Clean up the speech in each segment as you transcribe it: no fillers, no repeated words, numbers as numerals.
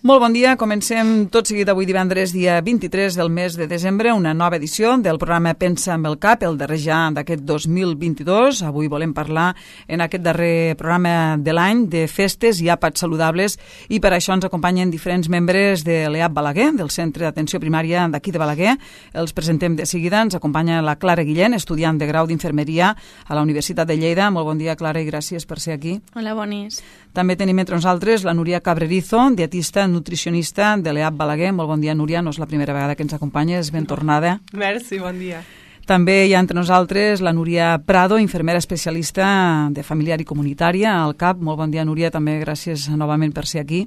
Molt bon dia, comencem tot seguit avui divendres, dia 23 del mes de desembre, una nova edició del programa Pensa amb el Cap, el darrer ja d'aquest 2022. Avui volem parlar en aquest darrer programa de l'any de festes i àpats saludables i per això ens acompanyen diferents membres de l'EAP Balaguer, del Centre d'Atenció Primària d'aquí de Balaguer. Els presentem de seguida. Ens acompanya la Clara Guillén, estudiant de grau d'Infermeria a la Universitat de Lleida. Molt bon dia, Clara, i gràcies per ser aquí. Hola, bonis. També tenim entre nosaltres la Núria Cabrerizo, dietista nutricionista de l'EAP Balaguer. Molt bon dia, Núria, no és la primera vegada que ens acompanyes, ben tornada. Merci, bon dia. També hi ha entre nosaltres la Núria Prado, infermera especialista de familiar i comunitària al CAP. Molt bon dia, Núria, també gràcies novament per ser aquí.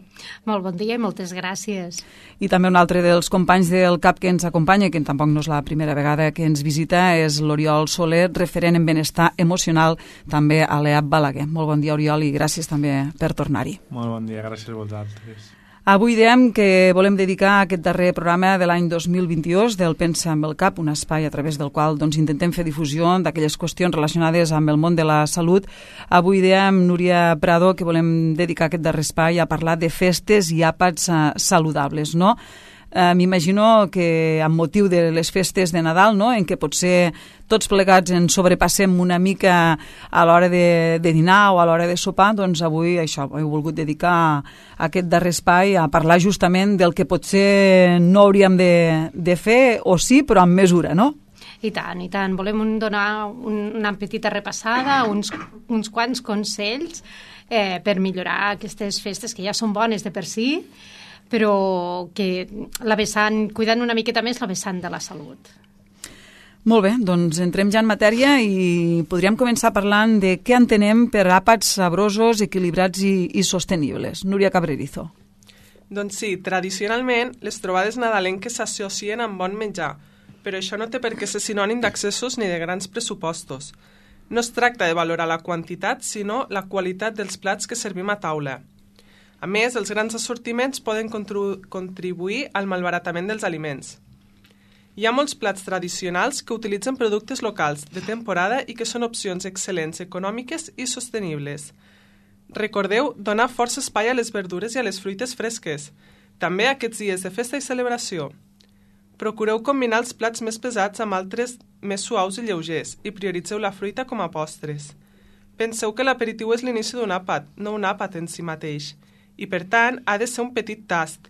Molt bon dia i moltes gràcies. I també un altre dels companys del CAP que ens acompanya, que tampoc no és la primera vegada que ens visita, és l'Oriol Soler, referent en benestar emocional també a l'EAP Balaguer. Molt bon dia, Oriol, i gràcies també per tornar-hi. Molt bon dia, gràcies a vosaltres. Avui diem que volem dedicar aquest darrer programa de l'any 2022 del Pensa amb el Cap, un espai a través del qual intentem fer difusió d'aquelles qüestions relacionades amb el món de la salut. Avui diem, Núria Prado, que volem dedicar aquest darrer espai a parlar de festes i àpats saludables, no? M'imagino que amb motiu de les festes de Nadal, no?, en què potser tots plegats ens sobrepassem una mica a l'hora de dinar o a l'hora de sopar, doncs avui això, he volgut dedicar aquest darrer espai a parlar justament del que potser no hauríem de fer, o sí, però amb mesura, no? I tant, i tant. Volem donar una petita repassada, uns quants consells per millorar aquestes festes que ja són bones de per si, però que cuidant una miqueta més la vessant de la salut. Molt bé, doncs entrem ja en matèria i podríem començar parlant de què entenem per àpats sabrosos, equilibrats i sostenibles. Núria Cabrerizo. Doncs sí, tradicionalment les trobades nadalenques s'associen amb bon menjar, però això no té per què ser sinònim d'accessos ni de grans pressupostos. No es tracta de valorar la quantitat, sinó la qualitat dels plats que servim a taula. A més, els grans assortiments poden contribuir al malbaratament dels aliments. Hi ha molts plats tradicionals que utilitzen productes locals de temporada i que són opcions excel·lents, econòmiques i sostenibles. Recordeu donar força espai a les verdures i a les fruites fresques, també aquests dies de festa i celebració. Procureu combinar els plats més pesats amb altres més suaus i lleugers i prioritzeu la fruita com a postres. Penseu que l'aperitiu és l'inici d'un àpat, no un àpat en si mateix, i per tant ha de ser un petit tast.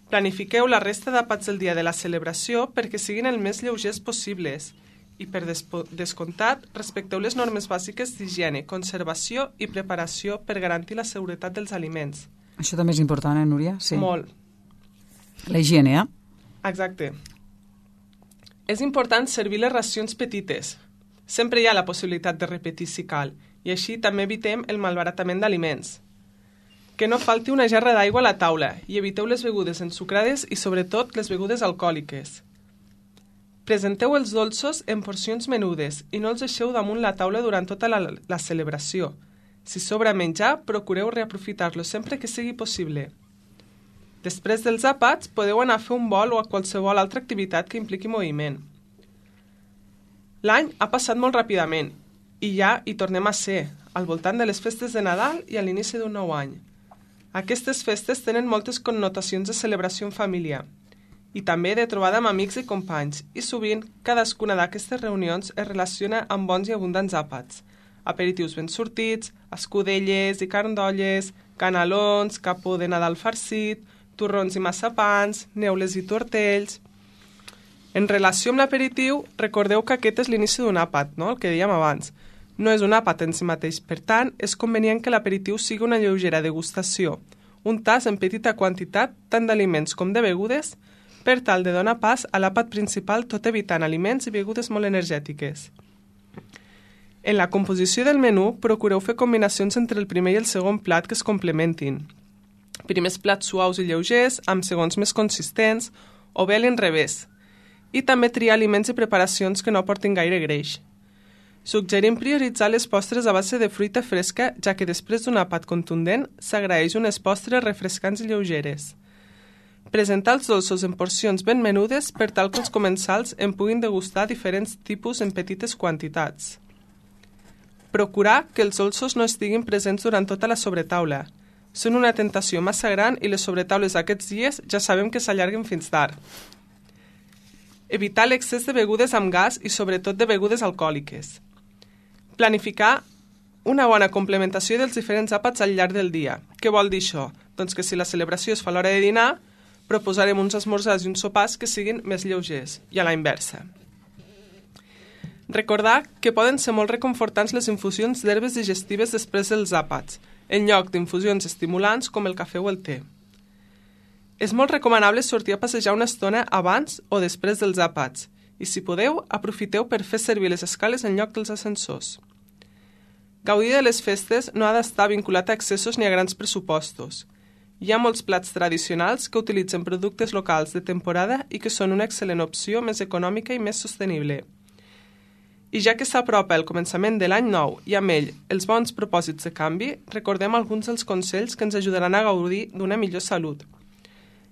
Planifiqueu la resta d'àpats del dia de la celebració perquè siguin el més lleugers possibles i per descomptat respecteu les normes bàsiques d'higiene, conservació i preparació per garantir la seguretat dels aliments. Això també és important, Núria? Sí. Molt. La higiene, Exacte. És important servir les racions petites. Sempre hi ha la possibilitat de repetir si cal i així també evitem el malbaratament d'aliments. Que no falti una gerra d'aigua a la taula i eviteu les begudes ensucrades i sobretot les begudes alcohòliques. Presenteu els dolços en porcions menudes i no els deixeu damunt la taula durant tota la celebració. Si sobra menjar, procureu reaprofitar-lo sempre que sigui possible. Després dels àpats, podeu anar a fer un vol o a qualsevol altra activitat que impliqui moviment. L'any ha passat molt ràpidament i ja hi tornem a ser, al voltant de les festes de Nadal i a l'inici d'un nou any. Aquestes festes tenen moltes connotacions de celebració en família i també de trobada amb amics i companys i sovint cadascuna d'aquestes reunions es relaciona amb bons i abundants àpats, aperitius ben sortits, escudelles i carn d'olles, canelons, capó de Nadal farcit, torrons i massapans, neules i tortells. En relació amb l'aperitiu, recordeu que aquest és l'inici d'un àpat, no? El que dèiem abans. No és un àpat en si mateix, per tant, és convenient que l'aperitiu sigui una lleugera degustació, un tast en petita quantitat tant d'aliments com de begudes, per tal de donar pas a l'àpat principal tot evitant aliments i begudes molt energètiques. En la composició del menú, procureu fer combinacions entre el primer i el segon plat que es complementin. Primers plats suaus i lleugers, amb segons més consistents, o bé a l'inrevés. I també triar aliments i preparacions que no portin gaire greix. Suggerim prioritzar les postres a base de fruita fresca, ja que després d'un àpat contundent s'agraeix unes postres refrescants i lleugeres. Presentar els dolços en porcions ben menudes per tal que els comensals en puguin degustar diferents tipus en petites quantitats. Procurar que els dolços no estiguin presents durant tota la sobretaula. Són una tentació massa gran i les sobretaules d'aquests dies ja sabem que s'allarguen fins tard. Evitar l'excés de begudes amb gas i sobretot de begudes alcohòliques. Planificar una bona complementació dels diferents àpats al llarg del dia. Què vol dir això? Doncs que si la celebració es fa a l'hora de dinar, proposarem uns esmorzars i uns sopars que siguin més lleugers, i a la inversa. Recordar que poden ser molt reconfortants les infusions d'herbes digestives després dels àpats, en lloc d'infusions estimulants com el cafè o el te. És molt recomanable sortir a passejar una estona abans o després dels àpats i, si podeu, aprofiteu per fer servir les escales en lloc dels ascensors. Gaudir de les festes no ha d'estar vinculat a excessos ni a grans pressupostos. Hi ha molts plats tradicionals que utilitzen productes locals de temporada i que són una excel·lent opció més econòmica i més sostenible. I ja que s'apropa el començament de l'any nou i amb ell els bons propòsits de canvi, recordem alguns dels consells que ens ajudaran a gaudir d'una millor salut.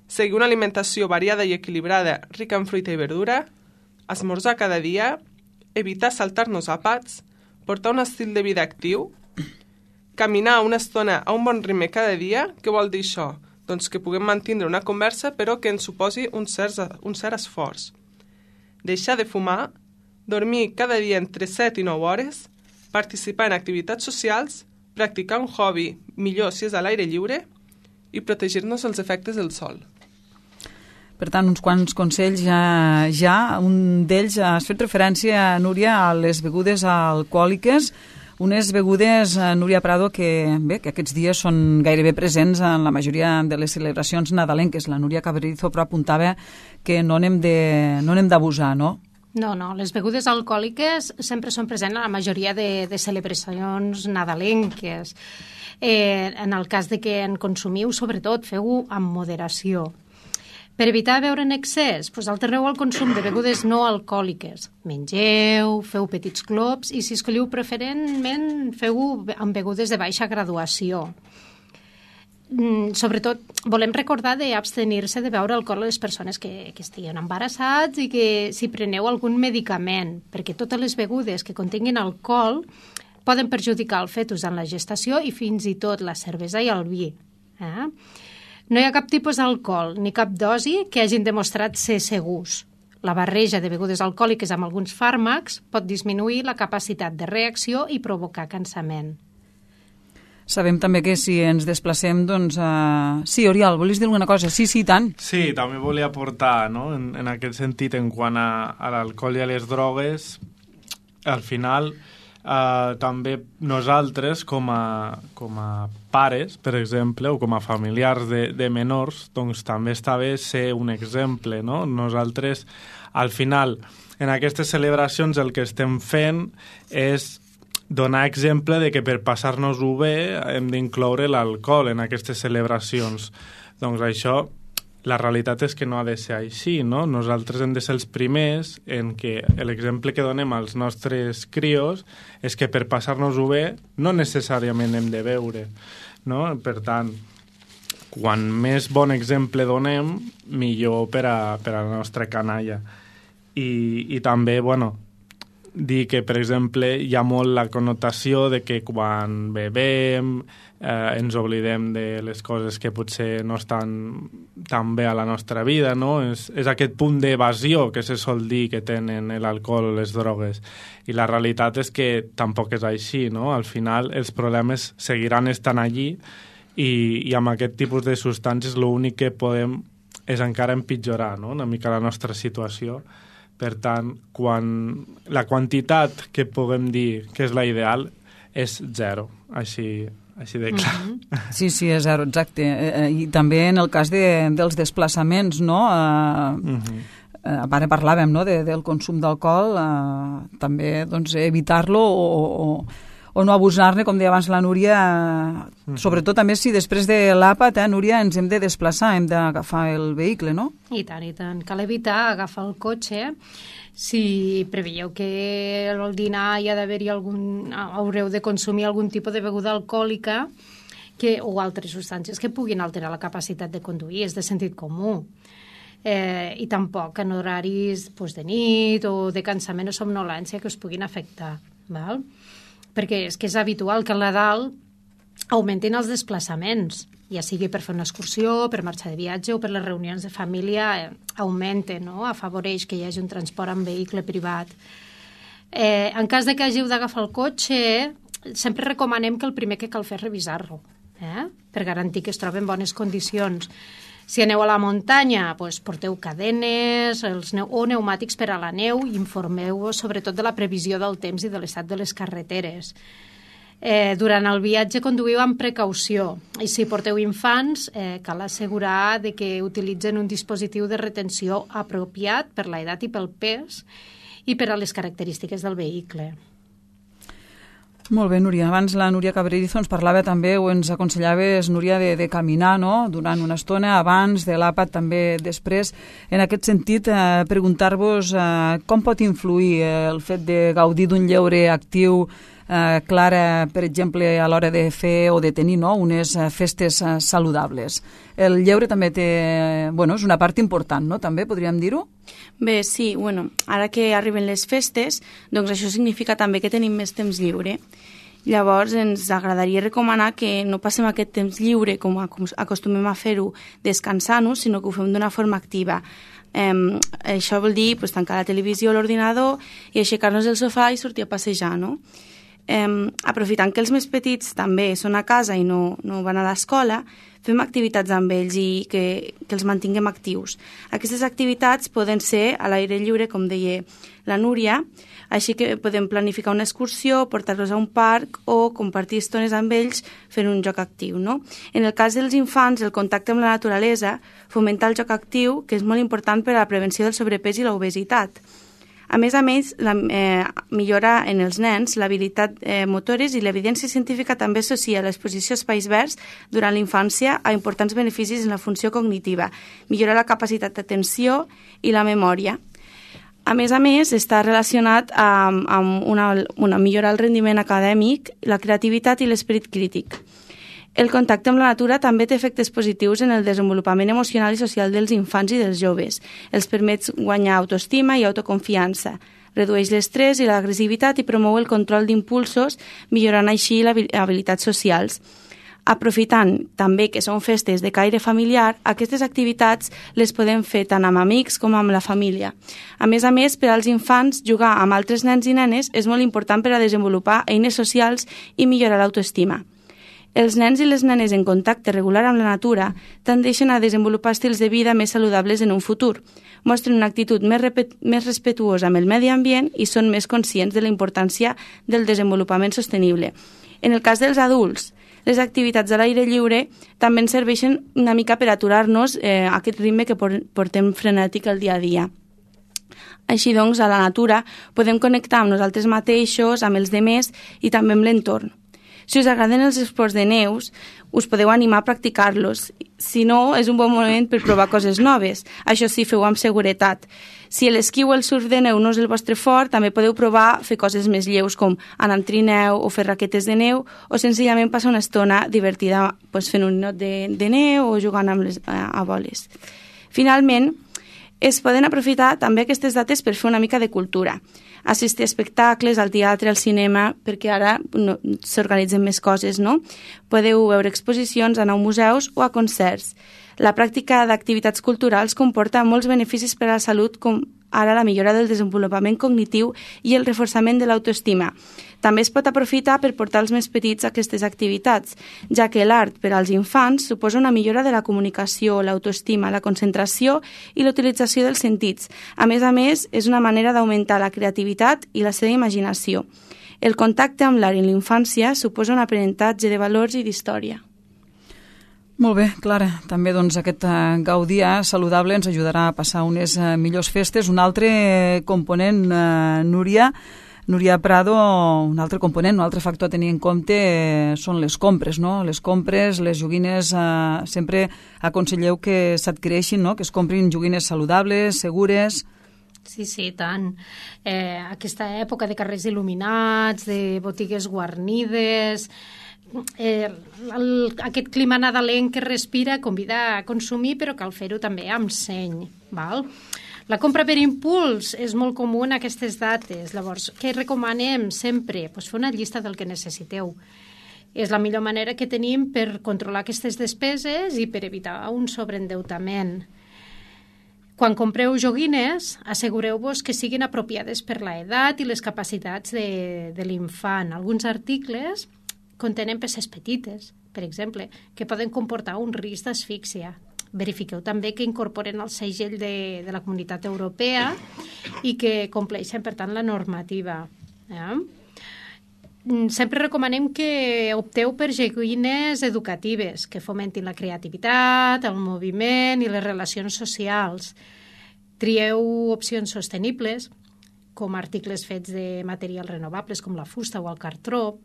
Seguir una alimentació variada i equilibrada, rica en fruita i verdura, esmorzar cada dia, evitar saltar-nos àpats, portar un estil de vida actiu, caminar una estona a un bon ritme cada dia. Què vol dir això? Doncs que puguem mantenir una conversa però que ens suposi un cert esforç. Deixar de fumar, dormir cada dia entre 7 i 9 hores, participar en activitats socials, practicar un hobby, millor si és a l'aire lliure, i protegir-nos dels efectes del sol. Per tant, uns quants consells ja. Un d'ells, has fet referència, Núria, a les begudes alcohòliques, unes begudes, Núria Prado, que aquests dies són gairebé presents en la majoria de les celebracions nadalenques. La Núria Cabrerizo però apuntava que no n'hem d'abusar, no? No, les begudes alcohòliques sempre són presents a la majoria de celebracions nadalenques. En el cas de que en consumiu, sobretot, feu-ho amb moderació. Per evitar beure en excés, alterneu el consum de begudes no alcohòliques. Mengeu, feu petits glops i, si escolliu preferentment, feu-ho amb begudes de baixa graduació. Sobretot, volem recordar d'abstenir-se de beure alcohol a les persones que estiguin embarassats i que si preneu algun medicament, perquè totes les begudes que contenguin alcohol poden perjudicar el fetus en la gestació i fins i tot la cervesa i el vi. No hi ha cap tipus d'alcohol ni cap dosi que hagin demostrat ser segurs. La barreja de begudes alcohòliques amb alguns fàrmacs pot disminuir la capacitat de reacció i provocar cansament. Sabem també que si ens desplacem, doncs... Sí, Oriol, volies dir alguna cosa? Sí, tant. Sí, també volia aportar, no?, en aquest sentit, en quant a l'alcohol i a les drogues, al final... també nosaltres com a pares, per exemple, o com a familiars de menors, doncs també està bé ser un exemple, no? Nosaltres, al final, en aquestes celebracions el que estem fent és donar exemple de que per passar-nos-ho bé hem d'incloure l'alcohol en aquestes celebracions. Doncs això... La realitat és que no ha de ser així, no? Nosaltres hem de ser els primers en què l'exemple que donem als nostres crios és que per passar-nos-ho bé no necessàriament hem de beure, no? Per tant, quan més bon exemple donem, millor per a la nostra canalla. I també, dir que, per exemple, hi ha molt la connotació de que quan bevem ens oblidem de les coses que potser no estan tan bé a la nostra vida, no? És aquest punt d'evasió que se sol dir que tenen l'alcohol o les drogues. I la realitat és que tampoc és així, no? Al final els problemes seguiran estant allí i amb aquest tipus de substàncies l'únic que podem és encara empitjorar, no?, una mica la nostra situació. Per tant, quan la quantitat que puguem dir que és la ideal és 0, així de clar. Sí, és 0, exacte. I també en el cas dels desplaçaments, no? Ara parlàvem, no?, del consum d'alcohol, també doncs, evitar-lo o no abusar-ne, com deia abans la Núria, sobretot també si després de l'àpat, Núria, ens hem de desplaçar, hem d'agafar el vehicle, no? I tant. Cal evitar agafar el cotxe. Si preveieu que al dinar hi ha d'haver-hi haureu de consumir algun tipus de beguda alcohòlica o altres substàncies que puguin alterar la capacitat de conduir, és de sentit comú. I tampoc en horaris de nit o de cansament o somnolència que us puguin afectar, val? Perquè és que és habitual que al Nadal augmentin els desplaçaments, ja sigui per fer una excursió, per marxar de viatge o per les reunions de família, augmenten, no? Afavoreix que hi hagi un transport en vehicle privat. En cas de que hàgiu d'agafar el cotxe, sempre recomanem que el primer que cal fer és revisar-lo, per garantir que es troba en bones condicions. Si aneu a la muntanya, doncs porteu cadenes o pneumàtics per a la neu i informeu-vos sobretot de la previsió del temps i de l'estat de les carreteres. Durant el viatge conduïu amb precaució i si porteu infants cal assegurar de que utilitzen un dispositiu de retenció apropiat per l'edat i pel pes i per a les característiques del vehicle. Molt bé, Núria. Abans la Núria Cabrerizo ens parlava també, o ens aconsellaves, Núria, de caminar, no?, durant una estona, abans de l'àpat, també després. En aquest sentit, preguntar-vos com pot influir el fet de gaudir d'un lleure actiu, Clara, per exemple, a l'hora de fer o de tenir, no?, unes festes saludables. El lleure també té, és una part important, no?, també podríem dir-ho? Bé, sí, ara que arriben les festes, doncs això significa també que tenim més temps lliure. Llavors ens agradaria recomanar que no passem aquest temps lliure com acostumem a fer-ho descansant-nos, sinó que ho fem d'una forma activa. Això vol dir tancar la televisió o l'ordinador i aixecar-nos del sofà i sortir a passejar, no? Aprofitant que els més petits també són a casa i no van a l'escola, fem activitats amb ells i que els mantinguem actius. Aquestes activitats poden ser a l'aire lliure, com deia la Núria, així que podem planificar una excursió, portar-los a un parc o compartir estones amb ells fent un joc actiu, no? En el cas dels infants, el contacte amb la naturalesa fomenta el joc actiu, que és molt important per a la prevenció del sobrepès i l'obesitat. A més, millora en els nens l'habilitat motores i l'evidència científica també associa l'exposició a espais verds durant la infància a importants beneficis en la funció cognitiva, millora la capacitat d'atenció i la memòria. A més, està relacionat amb una millorar el rendiment acadèmic, la creativitat i l'esperit crític. El contacte amb la natura també té efectes positius en el desenvolupament emocional i social dels infants i dels joves. Els permet guanyar autoestima i autoconfiança, redueix l'estrès i l'agressivitat i promou el control d'impulsos, millorant així les habilitats socials. Aprofitant també que són festes de caire familiar, aquestes activitats les podem fer tant amb amics com amb la família. A més, per als infants, jugar amb altres nens i nenes és molt important per a desenvolupar eines socials i millorar l'autoestima. Els nens i les nenes en contacte regular amb la natura tendeixen a desenvolupar estils de vida més saludables en un futur, mostren una actitud més respetuosa amb el medi ambient i són més conscients de la importància del desenvolupament sostenible. En el cas dels adults, les activitats a l'aire lliure també ens serveixen una mica per aturar-nos aquest ritme que portem frenètic el dia a dia. Així doncs, a la natura podem connectar amb nosaltres mateixos, amb els demés i també amb l'entorn. Si us agraden els esports de neus, us podeu animar a practicar-los. Si no, és un bon moment per provar coses noves. Això sí, feu amb seguretat. Si l'esquí o el surf de neu no és el vostre fort, també podeu provar fer coses més lleus com anar amb trineu o fer raquetes de neu o senzillament passar una estona divertida fent un ninot de neu o jugant a boles. Finalment, es poden aprofitar també aquestes dates per fer una mica de cultura. Assistir a espectacles, al teatre, al cinema, perquè ara s'organitzen més coses, no? Podeu veure exposicions, anar a museus o a concerts. La pràctica d'activitats culturals comporta molts beneficis per a la salut, com ara la millora del desenvolupament cognitiu i el reforçament de l'autoestima. També es pot aprofitar per portar els més petits a aquestes activitats, ja que l'art per als infants suposa una millora de la comunicació, l'autoestima, la concentració i l'utilització dels sentits. A més, és una manera d'augmentar la creativitat i la seva imaginació. El contacte amb l'art en l'infància suposa un aprenentatge de valors i d'història. Molt bé, Clara. També aquest gaudir saludable ens ajudarà a passar unes millors festes. Un altre component, Núria Prado, un altre component, un altre factor a tenir en compte són les compres, no? Les compres, les joguines, sempre aconselleu que s'adquireixin, no? Que es comprin joguines saludables, segures. Sí, tant. Aquesta època de carrers il·luminats, de botigues guarnides, aquest clima nadalenc que respira convida a consumir, però cal fer-ho també amb seny, val? La compra per impuls és molt comú en aquestes dates. Llavors, què recomanem sempre? Fer una llista del que necessiteu. És la millor manera que tenim per controlar aquestes despeses i per evitar un sobreendeutament. Quan compreu joguines, assegureu-vos que siguin apropiades per l'edat i les capacitats de l'infant. Alguns articles contenen peces petites, per exemple, que poden comportar un risc d'asfíxia. Verifiqueu també que incorporen el segell de la Comunitat Europea i que compleixen, per tant, la normativa. Sempre recomanem que opteu per joguines educatives, que fomentin la creativitat, el moviment i les relacions socials. Trieu opcions sostenibles, com articles fets de materials renovables, com la fusta o el cartró,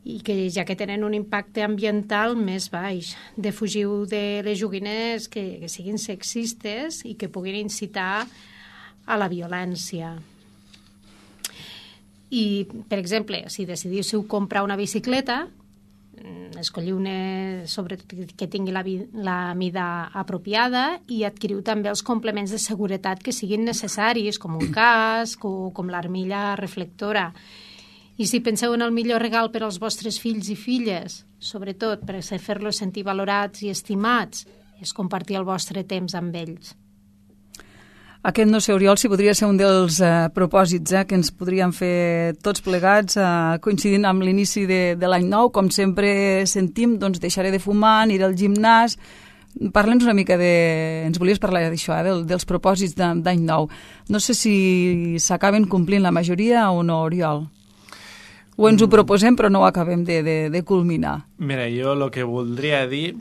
i que ja que tenen un impacte ambiental més baix. Defugiu de les joguines que siguin sexistes i que puguin incitar a la violència. I, per exemple, si decidíssiu comprar una bicicleta, escolliu una sobretot que tingui la mida apropiada i adquiriu també els complements de seguretat que siguin necessaris, com un casc o com l'armilla reflectora. I si penseu en el millor regal per als vostres fills i filles, sobretot per fer-los sentir valorats i estimats, és compartir el vostre temps amb ells. Aquest, no sé, Oriol, si podria ser un dels propòsits que ens podríem fer tots plegats, coincidint amb l'inici de l'any nou. Com sempre sentim, doncs deixaré de fumar, aniré al gimnàs. Parla'ns una mica ens volies parlar d'això, dels propòsits d'any nou. No sé si s'acaben complint la majoria o no, Oriol. O ens ho proposem però no ho acabem de culminar. Mira, jo el que voldria dir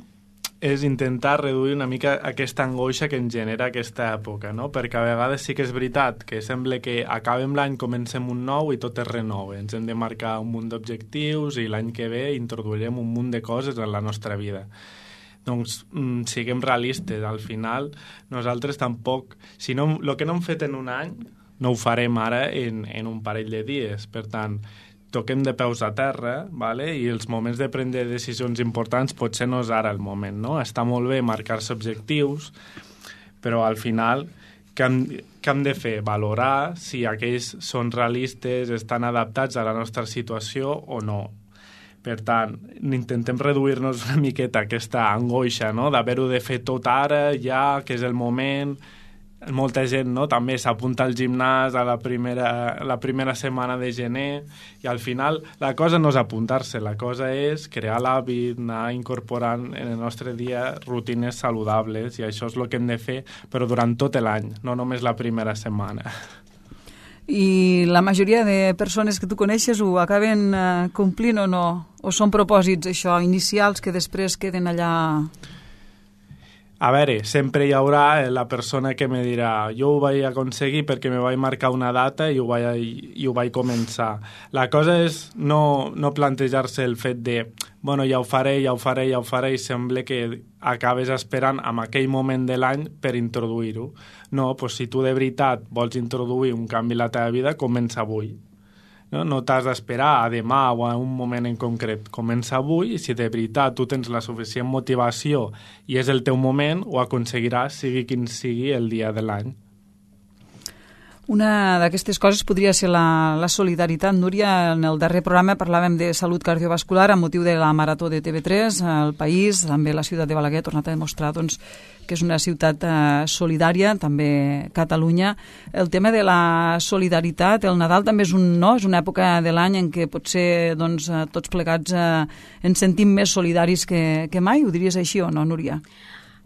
és intentar reduir una mica aquesta angoixa que ens genera aquesta època, no? Perquè a vegades sí que és veritat que sembla que acabem l'any, comencem un nou i tot es renova. Ens hem de marcar un munt d'objectius i l'any que ve introduirem un munt de coses en la nostra vida. Doncs siguem realistes, al final nosaltres tampoc, si no, el que no hem fet en un any no ho farem ara en un parell de dies, per tant toquem de peus a terra, vale? I els moments de prendre decisions importants potser no és ara el moment, no? Està molt bé marcar-se objectius, però al final què hem de fer? Valorar si aquells són realistes, estan adaptats a la nostra situació o no. Per tant, intentem reduir-nos una miqueta aquesta angoixa, no? D'haver-ho de fer tot ara, ja, que és el moment. Molta gent, no?, també s'apunta al gimnàs a la primera setmana de gener i al final la cosa no és apuntar-se, la cosa és crear l'hàbit, anar incorporant en el nostre dia rutines saludables i això és el que hem de fer, però durant tot l'any, no només la primera setmana. I la majoria de persones que tu coneixes ho acaben complint o no? O són propòsits, això, inicials que després queden allà... A veure, sempre hi haurà la persona que me dirà jo ho vaig aconseguir perquè me vaig marcar una data i ho vaig començar. La cosa és no plantejar-se el fet de bueno, ja ho faré i sembla que acabes esperant en aquell moment de l'any per introduir-ho. No, doncs si tu de veritat vols introduir un canvi a la teva vida, comença avui. No t'has d'esperar a demà o a un moment en concret. Comença avui i si de veritat tu tens la suficient motivació i és el teu moment, ho aconseguiràs, sigui quin sigui el dia de l'any. Una d'aquestes coses podria ser la solidaritat. Núria, en el darrer programa parlàvem de salut cardiovascular amb motiu de la Marató de TV3. El País, també la ciutat de Balaguer, ha tornat a demostrar que és una ciutat solidària, també Catalunya. El tema de la solidaritat, el Nadal també és una època de l'any en què potser tots plegats ens sentim més solidaris que mai. Ho diries així o no, Núria?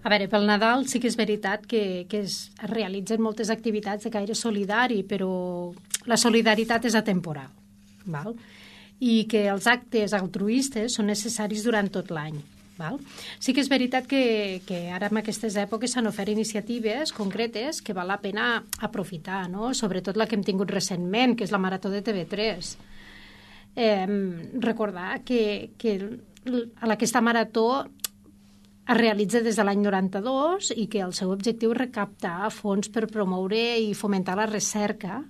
A veure, pel Nadal sí que és veritat que es realitzen moltes activitats de caire solidari, però la solidaritat és atemporal, val? I que els actes altruistes són necessaris durant tot l'any. Val? Sí que és veritat que ara en aquestes èpoques s'han ofert iniciatives concretes que val la pena aprofitar, no? Sobretot la que hem tingut recentment, que és la Marató de TV3. Recordar que aquesta marató es realitza des de l'any 92 i que el seu objectiu és recaptar fons per promoure i fomentar la recerca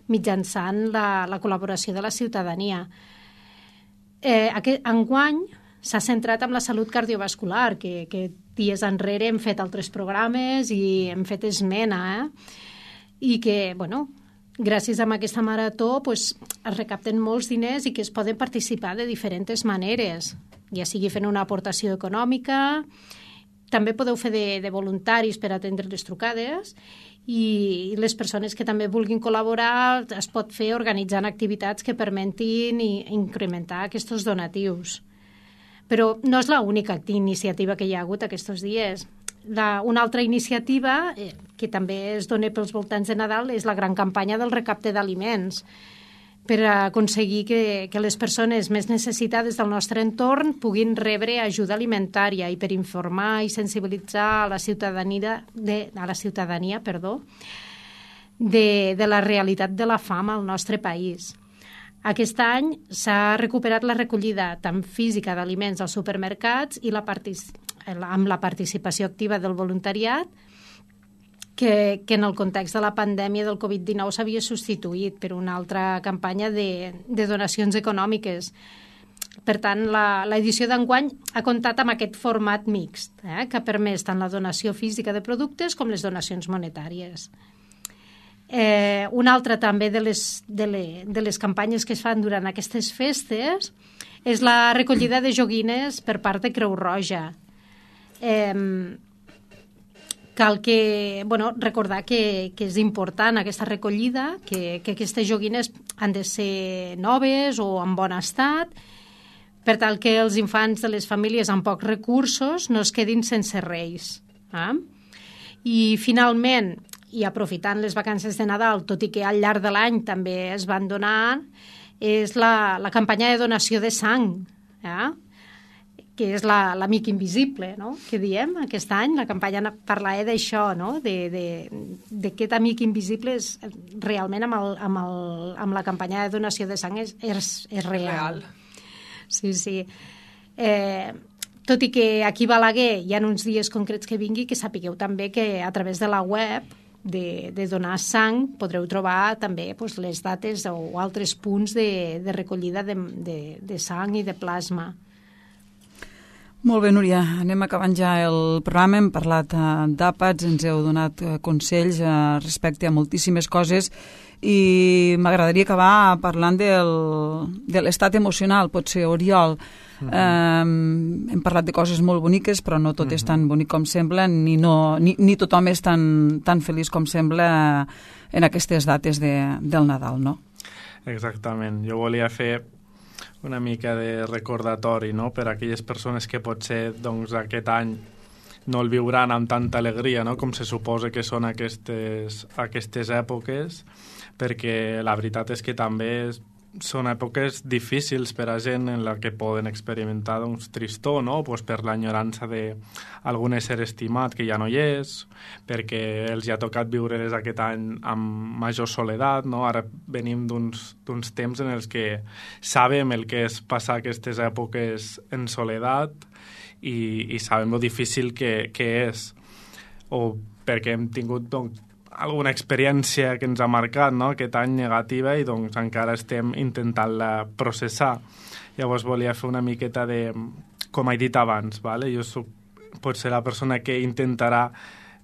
mitjançant la col·laboració de la ciutadania. Enguany s'ha centrat en la salut cardiovascular, que dies enrere hem fet altres programes i hem fet esmena, i que, bueno, gràcies a aquesta marató es recapten molts diners i que es poden participar de diferents maneres, ja sigui fent una aportació econòmica, també podeu fer de voluntaris per atendre les trucades i les persones que també vulguin col·laborar es pot fer organitzant activitats que permetin incrementar aquests donatius. Però no és l'única iniciativa que hi ha hagut aquests dies. Una altra iniciativa que també es dona pels voltants de Nadal és la gran campanya del recapte d'aliments per aconseguir que les persones més necessitades del nostre entorn puguin rebre ajuda alimentària i per informar i sensibilitzar a la ciutadania de la realitat de la fam al nostre país. Aquest any s'ha recuperat la recollida tant física d'aliments als supermercats i amb la participació activa del voluntariat que en el context de la pandèmia del Covid-19 s'havia substituït per una altra campanya de donacions econòmiques. Per tant, l'edició d'enguany ha comptat amb aquest format mixt, que ha permès tant la donació física de productes com les donacions monetàries. Una altra també de les campanyes que es fan durant aquestes festes és la recollida de joguines per part de Creu Roja. Cal recordar que és important aquesta recollida, que aquestes joguines han de ser noves o en bon estat, per tal que els infants de les famílies amb pocs recursos no es quedin sense res. I finalment, i aprofitant les vacances de Nadal, tot i que al llarg de l'any també es van donar, és la campanya de donació de sang, que és l'amic invisible, no?, que diem aquest any. La campanya parla d'això, no?, d'aquest amic invisible realment amb la campanya de donació de sang és real. Sí. Tot i que aquí a Balaguer hi ha uns dies concrets que vingui, que sapigueu també que a través de la web de donar sang podreu trobar també les dates o altres punts de recollida de sang i de plasma. Molt bé, Núria, anem acabant ja el programa. Hem parlat d'àpats, ens heu donat consells respecte a moltíssimes coses i m'agradaria acabar parlant de l'estat emocional, potser, Oriol. Hem parlat de coses molt boniques, però no tot és tan bonic com sembla, ni tothom és tan feliç com sembla en aquestes dates del Nadal, no? Exactament. Jo volia fer una mica de recordatori, no?, per a aquelles persones que potser aquest any no el viuran amb tanta alegria, no?, com se suposa que són aquestes èpoques, perquè la veritat és que també són èpoques difícils per a gent en la que poden experimentar tristor, no?, per l'enyorança d'algun ésser estimat que ja no hi és, perquè els ha tocat viure-les aquest any amb major soledat, no? Ara venim d'uns temps en els que sabem el que és passar aquestes èpoques en soledat i sabem lo difícil que és, o perquè hem tingut alguna experiència que ens ha marcat, no?, aquest any negativa, i encara estem intentant-la processar. Llavors volia fer una miqueta com he dit abans, vale? Jo soc potser la persona que intentarà,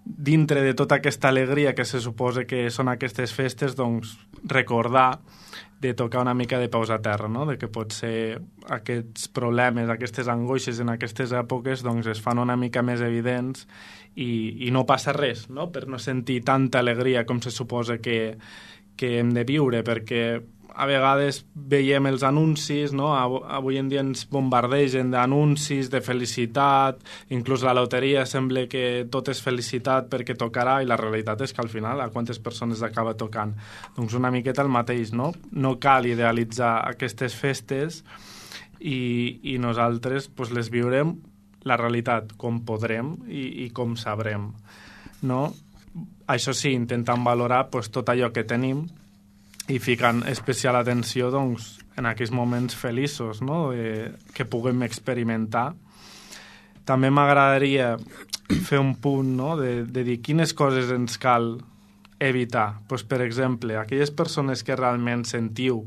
dintre de tota aquesta alegria que se suposa que són aquestes festes, recordar de tocar una mica de peus a terra, no?, de que potser aquests problemes, aquestes angoixes en aquestes èpoques es fan una mica més evidents i no passa res, no?, per no sentir tanta alegria com se suposa que hem de viure, perquè a vegades veiem els anuncis, no?, avui en dia ens bombardegen d'anuncis, de felicitat, inclús la loteria sembla que tot és felicitat perquè tocarà, i la realitat és que al final a quantes persones acaba tocant? Una miqueta el mateix, no? No cal idealitzar aquestes festes i nosaltres les viurem la realitat com podrem i com sabrem, no? Això sí, intentant valorar tot allò que tenim i ficant especial atenció en aquells moments feliços, no?, que puguem experimentar. També m'agradaria fer un punt, no?, de dir quines coses ens cal evitar. Per exemple, aquelles persones que realment sentiu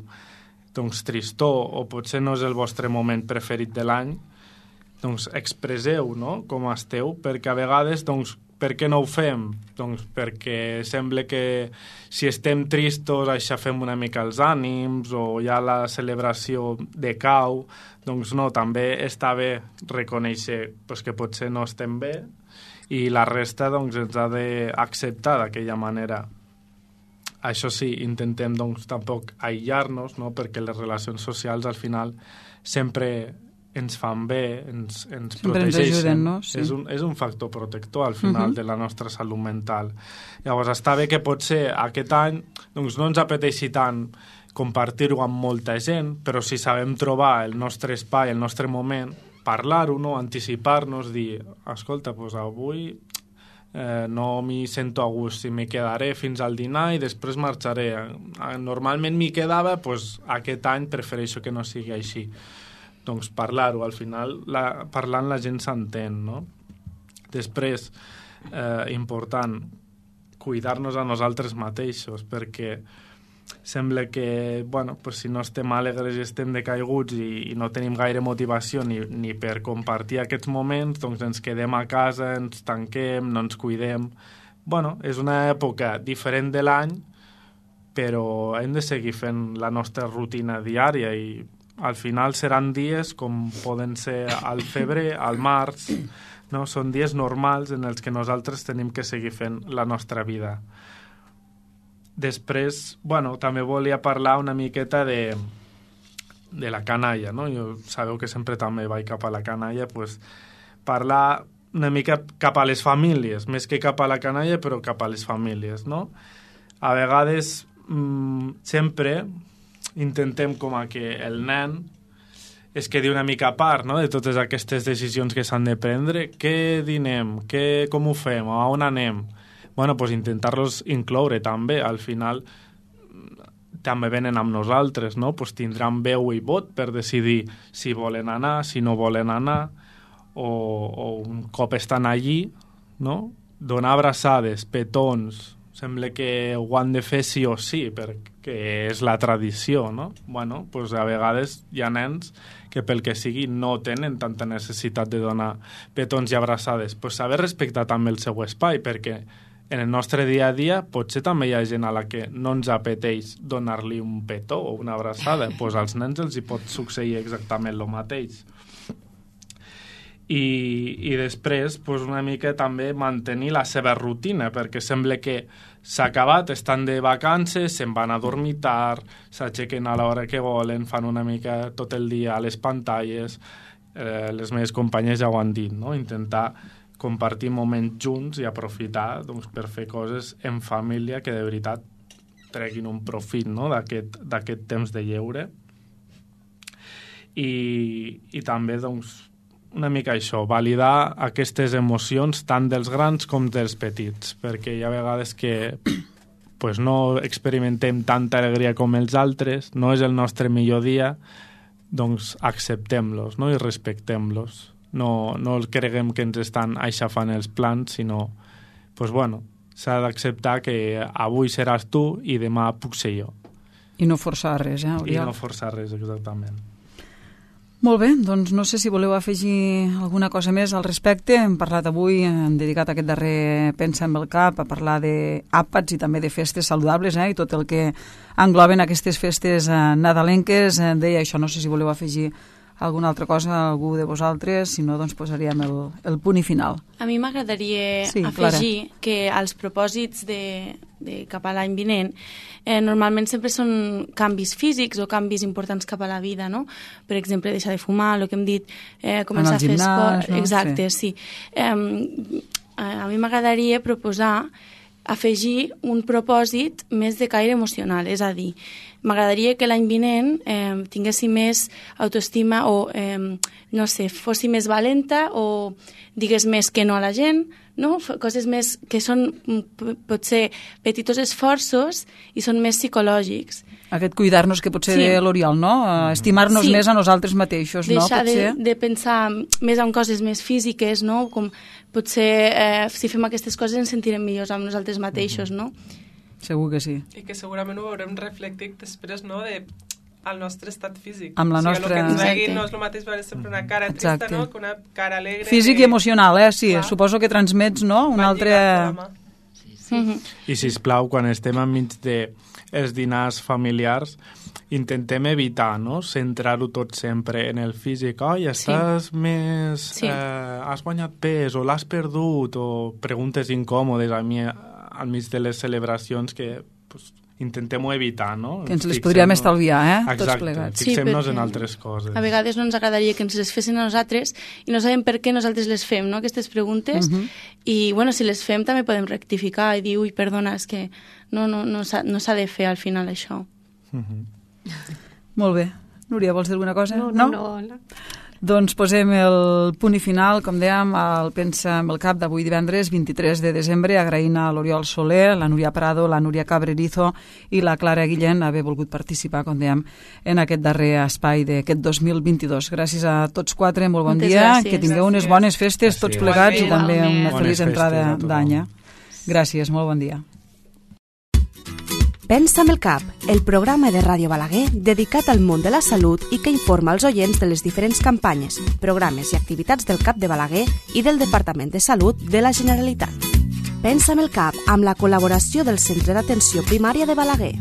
tristor o potser no és el vostre moment preferit de l'any, expresseu, no?, com esteu, perquè a vegades, per què no ho fem? Doncs perquè sembla que si estem tristos aixafem una mica els ànims o ja la celebració decau. Doncs no, també està bé reconèixer que potser no estem bé i la resta doncs, ens ha d'acceptar d'aquella manera. Això sí, intentem doncs, tampoc aïllar-nos, no? Perquè les relacions socials al final sempre ens fan bé, ens protegeixen. Ens ajuden, no? Sí. És un factor protector al final de la nostra salut mental. Llavors està bé que potser aquest any doncs, no ens apeteixi tant compartir-ho amb molta gent, però si sabem trobar el nostre espai, el nostre moment, parlar-ho, no? Anticipar-nos, dir, escolta, doncs avui no m'hi sento a gust, si m'hi quedaré fins al dinar i després marxaré. Normalment m'hi quedava, doncs aquest any prefereixo que no sigui així. Doncs parlar-ho, al final parlant la gent s'entén, no? Després, important, cuidar-nos a nosaltres mateixos, perquè sembla que, si no estem alegres i estem decaiguts i no tenim gaire motivació ni per compartir aquests moments, doncs ens quedem a casa, ens tanquem, no ens cuidem. És una època diferent de l'any, però hem de seguir fent la nostra rutina diària i al final seran dies com poden ser al febrer, al març, no? Són dies normals en els que nosaltres tenim que seguir fent la nostra vida. Després, també volia parlar una miqueta de la canalla, no? Jo sabeu que sempre també vaig cap a la canalla, parlar una mica cap a les famílies, més que cap a la canalla, però cap a les famílies, no? A vegades, sempre intentem com a que el nen es quedi una mica a part, no?, de totes aquestes decisions que s'han de prendre. Què dinem? Com ho fem? A on anem? Intentar-los incloure també. Al final també venen amb nosaltres, no? Tindran veu i vot per decidir si volen anar, si no volen anar, o un cop estan allí, no? Donar abraçades, petons, sembla que ho han de fer sí o sí, perquè és la tradició, no? A vegades hi ha nens que pel que sigui no tenen tanta necessitat de donar petons i abraçades. Saber respectar també el seu espai, perquè en el nostre dia a dia potser també hi ha gent a la que no ens apeteix donar-li un petó o una abraçada. Als nens els hi pot succeir exactament el mateix. I després una mica també mantenir la seva rutina, perquè sembla que s'ha acabat, estan de vacances, se'n van a dormir tard, s'aixequen a l'hora que volen, fan una mica tot el dia a les pantalles. Les meves companyes ja ho han dit, no? Intentar compartir moments junts i aprofitar per fer coses en família que de veritat treguin un profit, no? d'aquest temps de lleure. I també una mica això, validar aquestes emocions tant dels grans com dels petits, perquè hi ha vegades que no experimentem tanta alegria com els altres, no és el nostre millor dia, doncs acceptem-los, no? I respectem-los. No creguem que ens estan aixafant els plans, sinó s'ha d'acceptar que avui seràs tu i demà puc ser jo. I no forçar res, I no forçar res, exactament. Molt bé, doncs no sé si voleu afegir alguna cosa més al respecte. Hem parlat avui, hem dedicat aquest darrer Pensa amb el Cap a parlar d'àpats i també de festes saludables, i tot el que engloben aquestes festes nadalenques. Deia això, no sé si voleu afegir alguna altra cosa, algú de vosaltres, si no, doncs posaríem el punt i final. A mi m'agradaria afegir que els propòsits de cap a l'any vinent normalment sempre són canvis físics o canvis importants cap a la vida, no? Per exemple, deixar de fumar, el que hem dit, començar a fer esport. No? Exacte, sí. A mi m'agradaria proposar afegir un propòsit més de caire emocional, és a dir, m'agradaria que l'any vinent tinguéssim més autoestima o, no sé, fóssim més valenta o digués més que no a la gent, no? Coses més que són potser petits esforços i són més psicològics. Aquest cuidar-nos que potser de l'Oriol, no? Estimar-nos més a nosaltres mateixos, no? Deixar de pensar més en coses més físiques, no? Com potser si fem aquestes coses ens sentirem millors amb nosaltres mateixos, no? Segur que sí. I que segurament ho veurem reflectit després, no?, de al nostre estat físic. Amb la nostra... El que ens vegui Exacte. no és el mateix veure sempre una cara trista, Exacte. no?, que una cara alegre. Físic i emocional, sí. Clar. Suposo que transmets, no?, un altre... I, sisplau, quan estem enmig dels dinars familiars, intentem evitar, no?, centrar-ho tot sempre en el físic. Ai, estàs més... Sí. Has guanyat pes, o l'has perdut, o preguntes incòmodes al mig de les celebracions que pues, intentem-ho evitar, no? Que ens les podríem estalviar, tots Exacte, plegats. fixem-nos Sí, en perquè altres coses. A vegades no ens agradaria que ens les fessin a nosaltres i no sabem per què nosaltres les fem, no?, aquestes preguntes. I, bueno, si les fem també podem rectificar i dir, ui, perdona, és que no s'ha de fer al final això. Molt bé. Núria, vols dir alguna cosa? No. Doncs posem el punt i final, com dèiem, al Pensa amb el Cap d'avui divendres 23 de desembre, agraint a l'Oriol Soler, la Núria Prado, la Núria Cabrerizo i la Clara Guillén haver volgut participar, com dèiem, en aquest darrer espai d'aquest 2022. Gràcies a tots quatre, molt bon Moltes dia, gràcies. que tingueu unes bones festes tots plegats i també una Bones feliç festes entrada a tothom. d'any. Gràcies, molt bon dia. Pensa amb el Cap, el programa de Ràdio Balaguer dedicat al món de la salut i que informa els oients de les diferents campanyes, programes i activitats del CAP de Balaguer i del Departament de Salut de la Generalitat. Pensa amb el Cap, amb la col·laboració del Centre d'Atenció Primària de Balaguer.